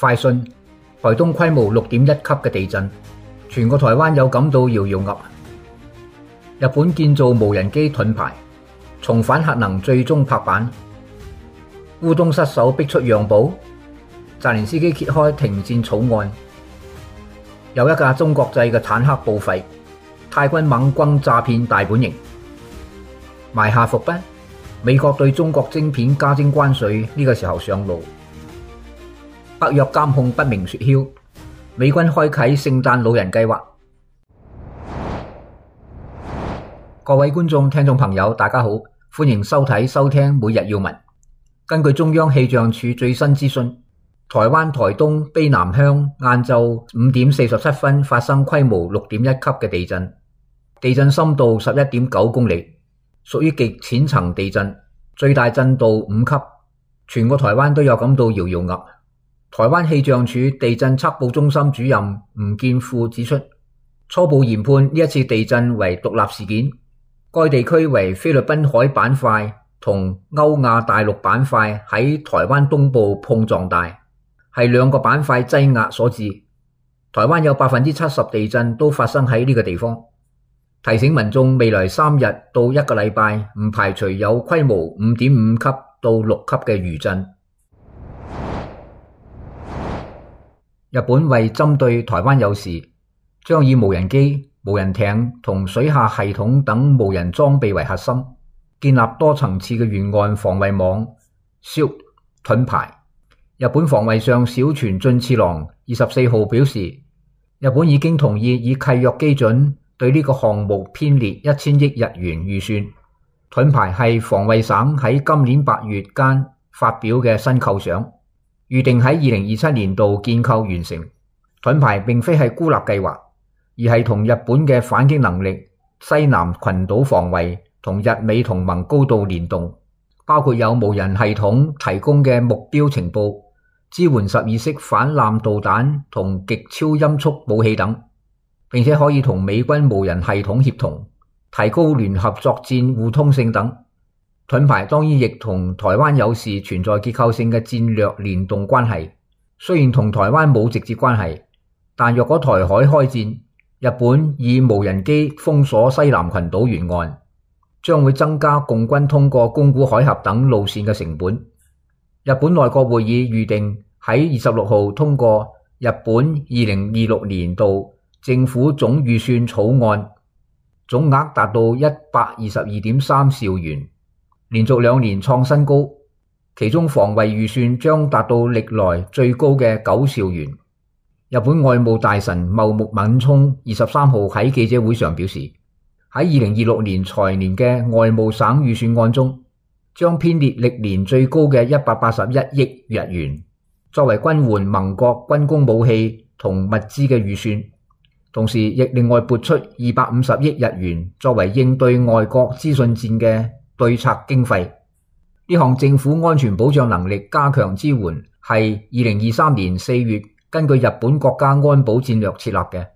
快訊：台東規模6.1級嘅地震，全個台灣有感到搖搖噏。日本建造無人機盾牌，重返核能最終拍板。烏東失守逼出讓步，澤連斯基揭開停戰草案。有一架中國製嘅坦克報廢，泰軍猛轟詐騙大本營。埋下伏筆，美國對中國晶片加徵關稅呢個時候上路。北約監控不明雪橇，美軍開啟聖誕老人計劃。各位觀眾、聽眾朋友，大家好，歡迎收睇、收聽每日要聞。根據中央氣象署最新資訊，台灣台東卑南鄉晏晝5點47分發生規模6.1級嘅地震，地震深度11.9公里，屬於極淺層地震，最大震度5級，全個台灣都有感到搖搖噏。台灣氣象署地震測報中心主任吳建富指出，初步研判呢一次地震為獨立事件，該地區為菲律賓海板塊同歐亞大陸板塊喺台灣東部碰撞帶，係兩個板塊擠壓所致。台灣有70%地震都發生喺呢個地方，提醒民眾未來3日到1個禮拜唔排除有規模5.5級到6級嘅餘震。日本為針對台灣有事，將以無人機、無人艇同水下系統等無人裝備為核心，建立多層次嘅沿岸防衛網 SHIELD 盾牌。日本防衛相小泉進次郎24號表示，日本已經同意以契約基準對呢個項目編列1000億日元預算。盾牌係防衛省喺今年8月間發表嘅新構想，預定喺2027年度建構完成。盾牌並非係孤立計劃，而係同日本嘅反擊能力、西南群島防衛同日美同盟高度聯動，包括有無人系統提供嘅目標情報、支援12式反艦導彈同極超音速武器等，並且可以同美軍無人系統協同，提高聯合作戰互通性等。盾牌當然亦同台灣有事存在結構性嘅戰略聯動關係，雖然同台灣冇直接關係，但若果台海開戰，日本以無人機封鎖西南群島沿岸，將會增加共軍通過宮古海峽等路線嘅成本。日本內閣會議預定喺26號通過日本2026年度政府總預算草案，總額達到122.3兆元。連續2年創新高，其中防衛預算將達到歷來最高嘅9兆元。日本外務大臣茂木敏充23號喺記者會上表示，喺2026年財年嘅外務省預算案中，將編列歷年最高嘅181億日元，作為軍援盟國軍工武器同物資嘅預算，同時亦另外撥出250億日元作為應對外國資訊戰嘅對策經費。呢項政府安全保障能力加強支援係2023年4月根據日本國家安保戰略設立嘅。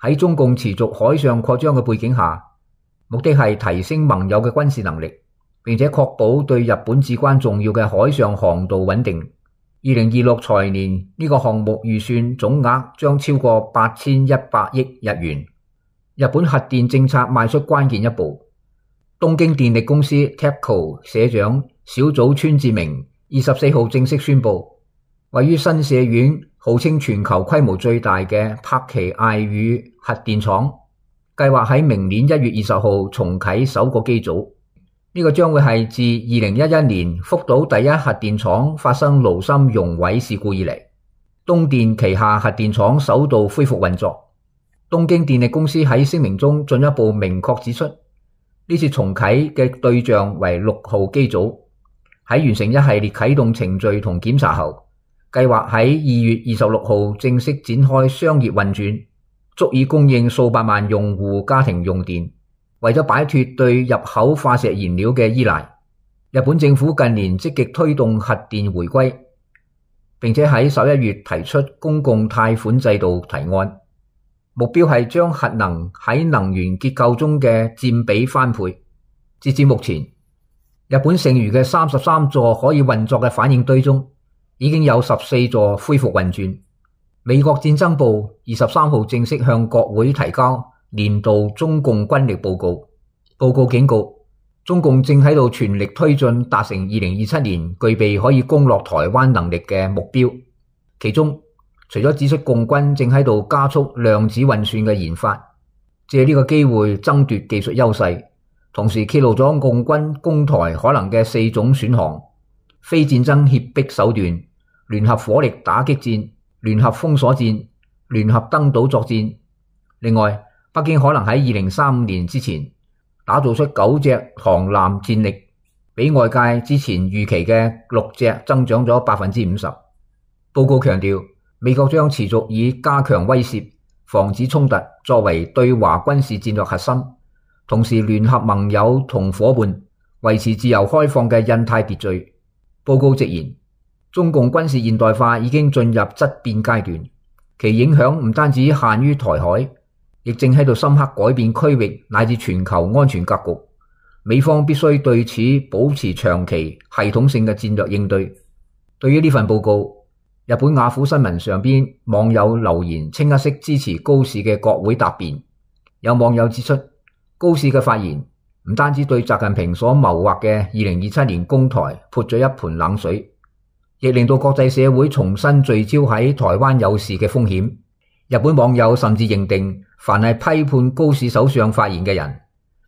喺中共持續海上擴張嘅背景下，目的係提升盟友嘅軍事能力，並且確保對日本至關重要嘅海上航道穩定。2026財年呢個項目預算總額將超過8100億日元。日本核電政策邁出關鍵一步。東京電力公司 TEPCO 社長小早川智明24號正式宣布，位於新社院號稱全球規模最大嘅柏崎艾宇核電廠，計劃喺明年1月20號重啟首個機組。呢個將會係自2011年福島第一核電廠發生爐心熔毀事故以嚟，東電旗下核電廠首度恢復運作。東京電力公司喺聲明中進一步明確指出，呢次重啟嘅對象為6號機組，喺完成一系列啟動程序同檢查後，計劃喺2月26號正式展開商業運轉，足以供應數百萬用戶家庭用電。為咗擺脫對入口化石燃料嘅依賴，日本政府近年積極推動核電回歸。並且喺11月提出公共貸款制度提案，目標係將核能喺能源結構中嘅佔比翻倍。截至目前，日本剩餘嘅33座可以運作嘅反應堆中，已經有14座恢復運轉。美國戰爭部23號正式向國會提交年度中共軍力報告，報告警告中共正喺度全力推進達成2027年具備可以攻落台灣能力嘅目標。其中除咗指出共軍正喺度加速量子運算嘅研發，借呢個機會爭奪技術優勢，同時揭露咗共軍攻台可能嘅4種選項：非戰爭脅迫手段、聯合火力打擊戰、聯合封鎖戰、聯合登島作戰。另外，北京可能喺2035年之前打造出9隻航艦戰力，比外界之前預期嘅6隻增長咗 50%。 報告強調，美國將持續以加強威懾、防止衝突作為對華軍事戰略核心，同時聯合盟友同夥伴維持自由開放嘅印太秩序。報告直言，中共軍事現代化已經進入質變階段，其影響唔單止限於台海，亦正喺度深刻改變區域乃至全球安全格局。美方必須對此保持長期系統性嘅戰略應對。對於呢份報告，日本雅虎新聞上邊網友留言清一色支持高市嘅國會答辯。有網友指出，高市嘅發言唔單止對習近平所謀劃嘅2027年攻台潑咗一盆冷水，亦令到國際社會重新聚焦喺台灣有事嘅風險。日本網友甚至認定，凡係批判高市首相發言嘅人，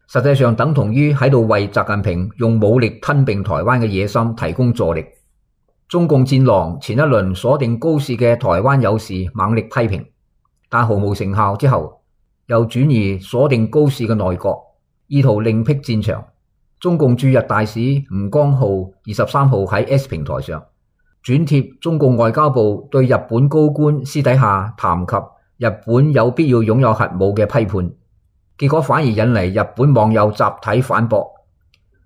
實際上等同於喺度為習近平用武力吞併台灣嘅野心提供助力。中共戰狼前一輪鎖定高市嘅台灣有事猛力批評，但毫無成效之後，又轉移鎖定高市嘅內閣，意圖另闢戰場。中共駐日大使吳江浩23號喺 S 平台上轉貼中共外交部對日本高官私底下談及日本有必要擁有核武嘅批判，結果反而引嚟日本網友集體反駁。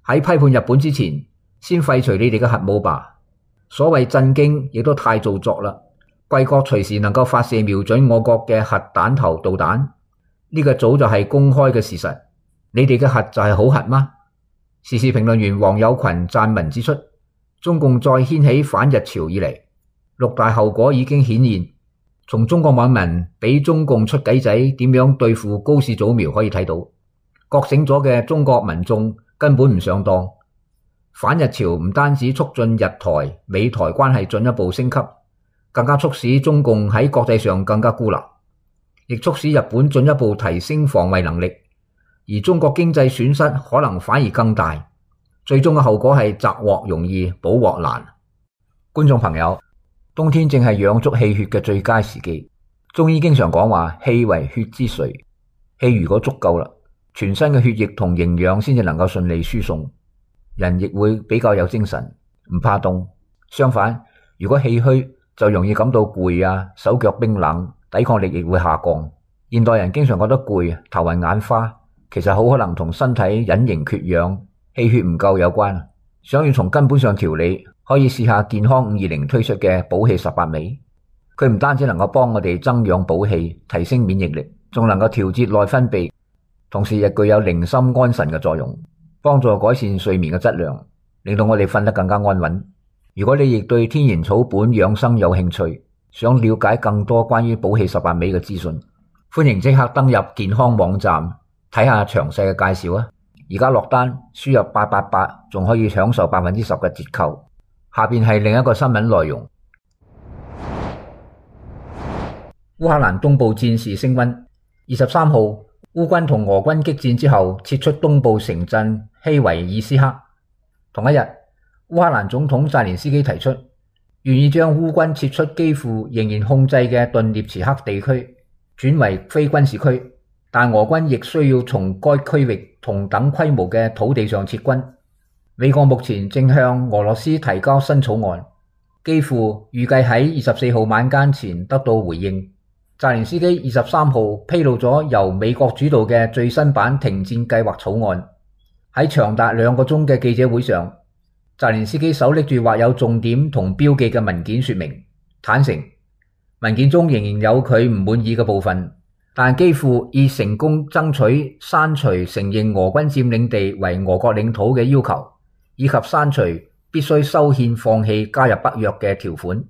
喺批判日本之前，先廢除你哋嘅核武吧。所謂震驚亦都太做作啦，貴國隨時能夠發射瞄準我國嘅核彈頭導彈，呢個早就係公開嘅事實。你哋嘅核就係好核嗎？時事評論員黃友群撰文指出，中共再掀起反日潮以嚟，6大後果已經顯現。從中國網民俾中共出計仔點樣對付高市早苗可以睇到，覺醒咗嘅中國民眾根本唔上當。反日潮唔單止促進日台、美台關係進一步升級，更加促使中共喺國際上更加孤立，亦促使日本進一步提升防衛能力，而中國經濟損失可能反而更大。最終嘅後果係摘獲容易，補獲難。觀眾朋友，冬天正係養足氣血嘅最佳時機。中醫經常講話，氣為血之髓，氣如果足夠啦，全身嘅血液同營養先至能夠順利輸送，人亦會比較有精神，唔怕凍。相反，如果氣虛，就容易感到攰啊，手腳冰冷，抵抗力亦會下降。現代人經常覺得攰、頭暈眼花，其實好可能同身體隱形缺氧、氣血唔夠有關。想要從根本上調理，可以試下健康520推出嘅補氣18味。佢唔單止能夠幫我哋增氧補氣、提升免疫力，仲能夠調節內分泌，同時亦具有寧心安神嘅作用，幫助改善睡眠嘅質量，令到我哋瞓得更加安穩。如果你亦對天然草本養生有興趣，想了解更多關於補氣18味嘅資訊，歡迎即刻登入健康網站睇下詳細嘅介紹啊！而家落單輸入888，仲可以享受10%嘅折扣。下邊係另一個新聞內容。烏克蘭東部戰事升溫，23號烏軍同俄軍激戰之後撤出東部城鎮希維爾斯克。同一日，烏克蘭總統澤連斯基提出願意將烏軍撤出幾乎仍然控制嘅頓涅茨克地區轉為非軍事區，但俄軍亦需要從該區域同等規模嘅土地上撤軍。美國目前正向俄羅斯提交新草案，幾乎預計喺24號晚間前得到回應。澤連斯基23號披露咗由美國主導嘅最新版停戰計劃草案。喺長達2個鐘嘅記者會上，澤連斯基手拎住畫有重點同標記嘅文件說明，坦承文件中仍然有佢唔滿意嘅部分，但幾乎已成功爭取刪除承認俄軍佔領地為俄國領土嘅要求，以及刪除必須修憲放棄加入北約嘅條款。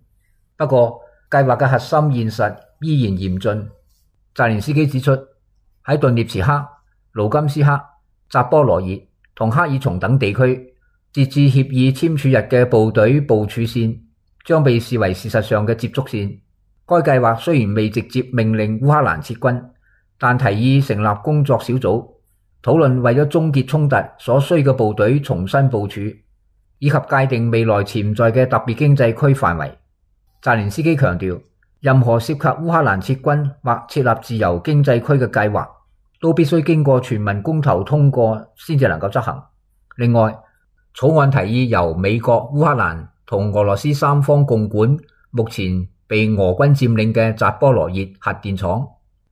不過計劃嘅核心現實依然嚴峻。澤連斯基指出，喺頓涅茨克、盧甘斯克、扎波羅熱同克爾松等地區，截至協議簽署日嘅部隊部署線將被視為事實上嘅接觸線。該計劃雖然未直接命令烏克蘭撤軍，但提議成立工作小組，討論為咗終結衝突所需嘅部隊重新部署，以及界定未來潛在嘅特別經濟區範圍。澤連斯基強調，任何涉及烏克蘭撤軍或設立自由經濟區嘅計劃，都必須經過全民公投通過先至能夠執行。另外，草案提議由美國、烏克蘭同俄羅斯三方共管目前被俄軍佔領嘅扎波羅熱核電廠，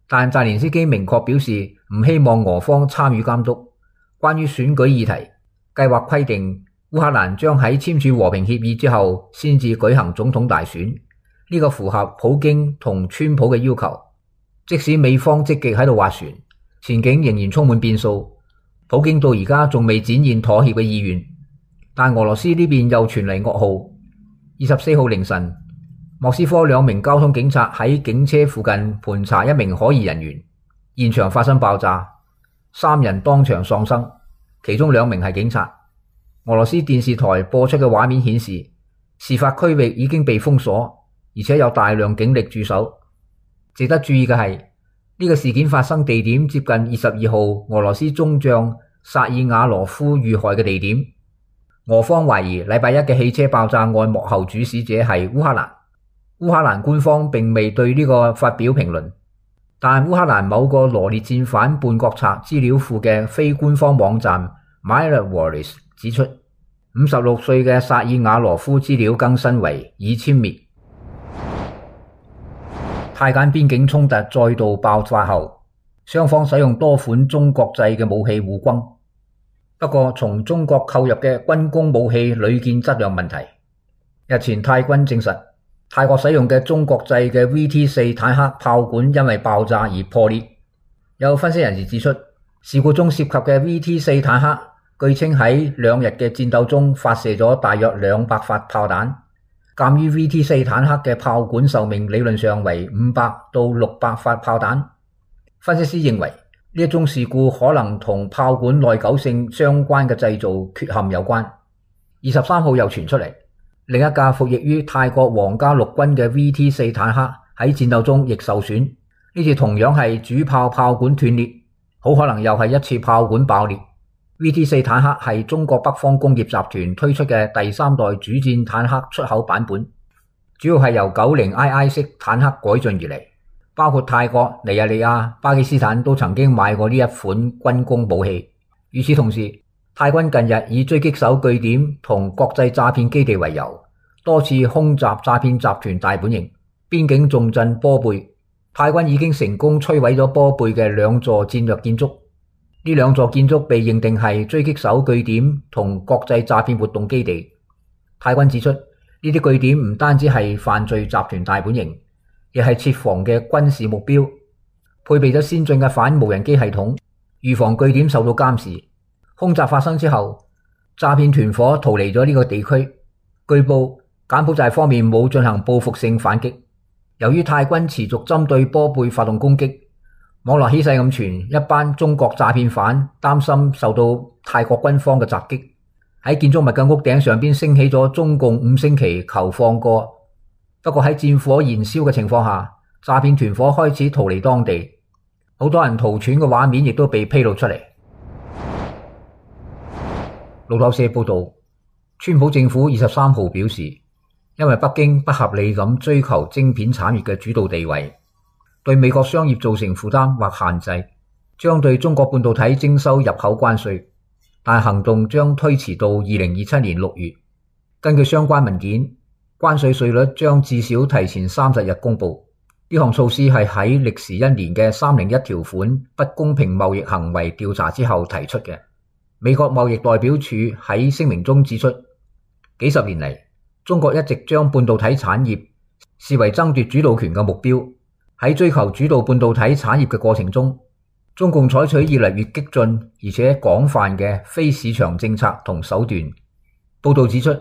但澤連斯基明確表示唔希望俄方參與監督。關於選舉議題，計劃規定烏克蘭將喺簽署和平協議之後先至舉行總統大選，呢個符合普京同川普嘅要求。即使美方積極喺度斡旋，前景仍然充滿變數。普京到而家仲未展現妥協嘅意願，但俄羅斯呢邊又傳嚟噩耗。24號凌晨，莫斯科2名交通警察喺警車附近盤查一名可疑人員，現場發生爆炸，3人當場喪生，其中2名係警察。俄羅斯電視台播出嘅畫面顯示，事發區域已經被封鎖，而且有大量警力駐守。值得注意嘅係，呢個事件發生地點接近22號俄羅斯中將薩爾瓦羅夫遇害嘅地點。俄方懷疑禮拜一嘅汽車爆炸案幕後主使者係烏克蘭。烏克蘭官方並未對呢個發表評論，但烏克蘭某個羅列戰犯叛國賊資料庫嘅非官方網站 MyRevoris 指出，56歲嘅薩爾瓦羅夫資料更新為已殲滅。泰柬邊境衝突再度爆發後，雙方使用多款中國製嘅武器互轟。不過，從中國購入嘅軍工武器屢見質量問題。日前泰軍證實，泰國使用嘅中國製嘅 VT4 坦克炮管因為爆炸而破裂。有分析人士指出，事故中涉及嘅 VT4 坦克據稱喺2日嘅戰鬥中發射咗大約200發炮彈。鑑於 VT4 坦克嘅炮管壽命理論上為500到600發炮彈，分析師認為呢一宗事故可能同炮管耐久性相關嘅製造缺陷有關。23號又傳出嚟，另一架服役於泰國皇家陸軍嘅 VT4 坦克喺戰鬥中亦受損，呢次同樣係主炮炮管斷裂，好可能又係一次炮管爆裂。VT4 坦克係中國北方工業集團推出嘅第3代主戰坦克出口版本，主要係由90II 式坦克改進而嚟，包括泰國、尼日利亞、巴基斯坦都曾經買過呢一款軍工武器。與此同時，泰軍近日以狙擊手據點同國際詐騙基地為由，多次空襲詐騙集團大本營、邊境重鎮波貝。泰軍已經成功摧毀咗波貝嘅2座戰略建築。呢2座建築被認定係狙擊手據點同國際詐騙活動基地。泰軍指出，呢啲據點唔單止係犯罪集團大本營，亦係設防嘅軍事目標，配備咗先進嘅反無人機系統，預防據點受到監視。空襲發生之後，詐騙團伙逃離咗呢個地區。據報，柬埔寨方面冇進行報復性反擊。由於泰軍持續針對波貝發動攻擊，網絡起勢咁傳，一班中國詐騙犯擔心受到泰國軍方嘅襲擊，喺建築物嘅屋頂上邊升起咗中共5星旗求放過。不過喺戰火燃燒嘅情況下，詐騙團伙開始逃離當地，好多人逃竄嘅畫面亦都被披露出嚟。路透社報道，川普政府23號表示，因為北京不合理咁追求晶片產業嘅主導地位，對美國商業造成負擔或限制，將對中國半導體徵收入口關稅，但行動將推遲到2027年6月。根據相關文件，關稅稅率將至少提前30日公布。呢項措施係喺歷時1年嘅301條款不公平貿易行為調查之後提出嘅。美國貿易代表處喺聲明中指出，幾十年嚟，中國一直將半導體產業視為爭奪主導權嘅目標。喺追求主導半導體產業嘅過程中，中共採取越嚟越激進而且廣泛嘅非市場政策同手段。報道指出，呢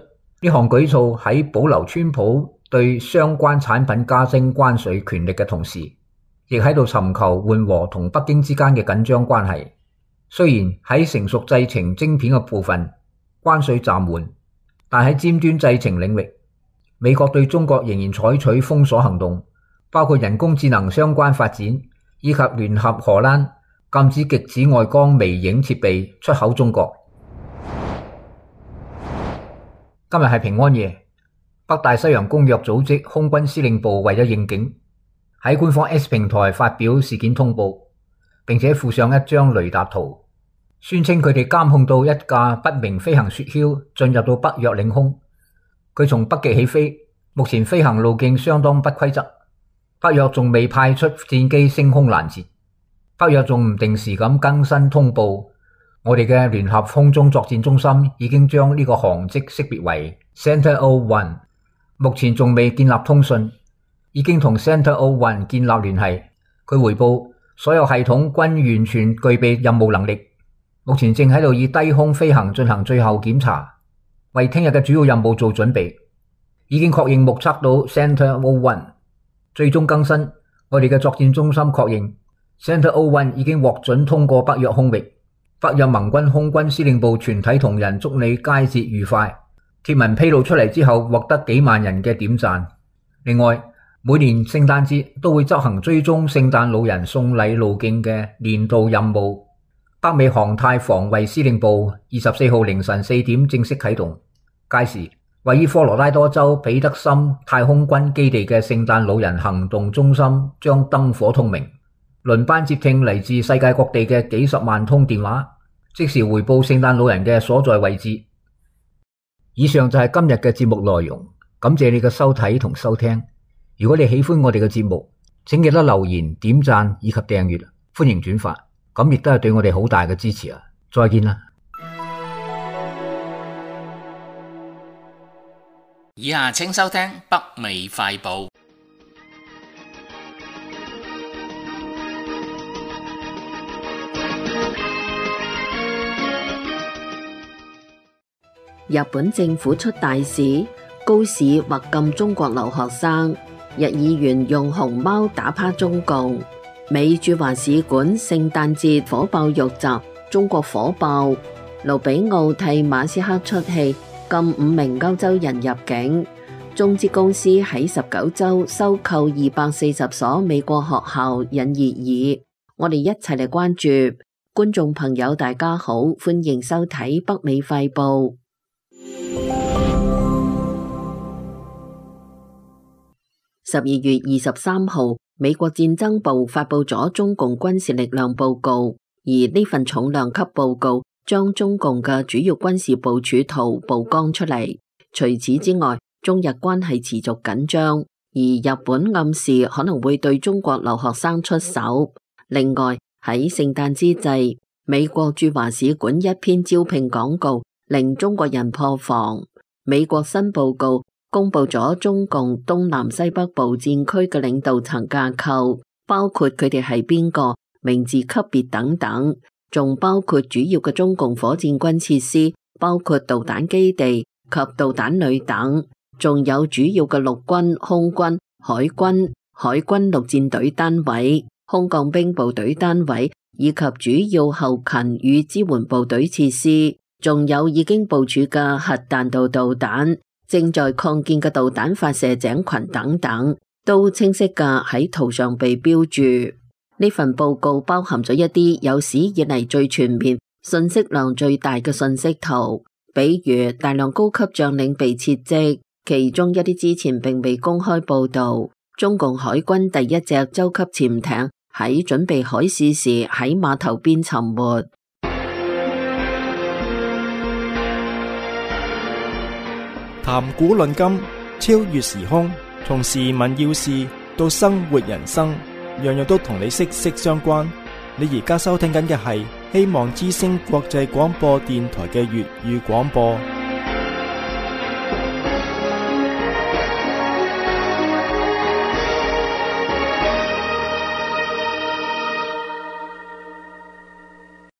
項舉措喺保留川普對相關產品加徵關稅權力嘅同時，亦喺度尋求緩和同北京之間嘅緊張關係。雖然喺成熟製程晶片嘅部分關稅暫緩，但喺尖端製程領域，美國對中國仍然採取封鎖行動，包括人工智能相關發展，以及聯合荷蘭禁止極紫外光微影設備出口中國。今日係平安夜，北大西洋公約組織空軍司令部為咗應景，喺官方 X 平台發表事件通報，並且附上一張雷達圖，宣稱佢哋監控到一架不明飛行雪橇進入到北約領空。佢從北極起飛，目前飛行路徑相當不規則。北約仲未派出戰機升空攔截，北約仲唔定時咁更新通報。我哋嘅聯合空中作戰中心已經將呢個航跡識別為 Center-01， 目前仲未建立通訊，已經同 Center-01 建立聯繫。佢回報所有系統均完全具備任務能力，目前正喺度以低空飛行進行最後檢查，為聽日嘅主要任務做準備。已經確認目測到 Center-01。最終更新，我哋嘅作戰中心確認 Center-01 已經獲准通過北約空域。北約盟軍空軍司令部全體同仁祝你佳節愉快。貼文披露出嚟之後，獲得幾萬人嘅點讚。另外，每年聖誕節都會執行追蹤聖誕老人送禮路徑嘅年度任務。北美航太防衛司令部24號凌晨4點正式啟動，屆時位於科羅拉多州彼得森太空軍基地嘅聖誕老人行動中心將燈火通明，輪班接聽嚟自世界各地嘅幾十萬通電話，即時回報聖誕老人嘅所在位置。以上就係今日嘅節目內容，感謝你嘅收睇同收聽。如果你喜歡我哋嘅節目，請記得留言、點讚以及訂閱，歡迎轉發，咁亦都係對我哋好大嘅支持啊！再見啦！以下請收聽北美快報。日本政府出大事，高市或禁中國留學生，日議員用熊貓打趴中共，美駐華使館聖誕節火爆遇襲，中國火爆，盧比奧替馬斯克出氣，禁5名歐洲人入境。中資公司喺19州收購240所美國學校引熱議。我哋一齊嚟關注。觀眾朋友大家好，歡迎收睇北美快報。12月23號，美國戰爭部發佈咗中共軍事力量報告，而呢份重量級報告將中共嘅主要軍事部署圖曝光出嚟。除此之外，中日關係持續緊張，而日本暗示可能會對中國留學生出手。另外，喺聖誕之際，美國駐華使館一篇招聘廣告令中國人破防。美國新報告公布咗中共東南西北部戰區嘅領導層架構，包括佢哋係邊個、名字級別等等，仲包括主要嘅中共火箭軍設施，包括導彈基地及導彈旅等，仲有主要嘅陸軍、空軍、海軍陸戰隊單位、空降兵部隊單位，以及主要後勤與支援部隊設施，仲有已經部署嘅核彈道導彈、正在擴建嘅導彈發射井群等等，都清晰嘅喺圖上被標注。呢份報告包含咗一啲有史以嚟最全面、信息量最大嘅信息圖，比如大量高級將領被撤職，其中一啲之前並未公開報道。中共海軍第一隻洲級潛艇喺準備海試時喺碼頭邊沉沒。談古論今，超越時空，從時聞要事到生活人生，樣樣都同你息息相關。你而家收聽緊嘅係希望之聲國際廣播電台嘅粵語廣播。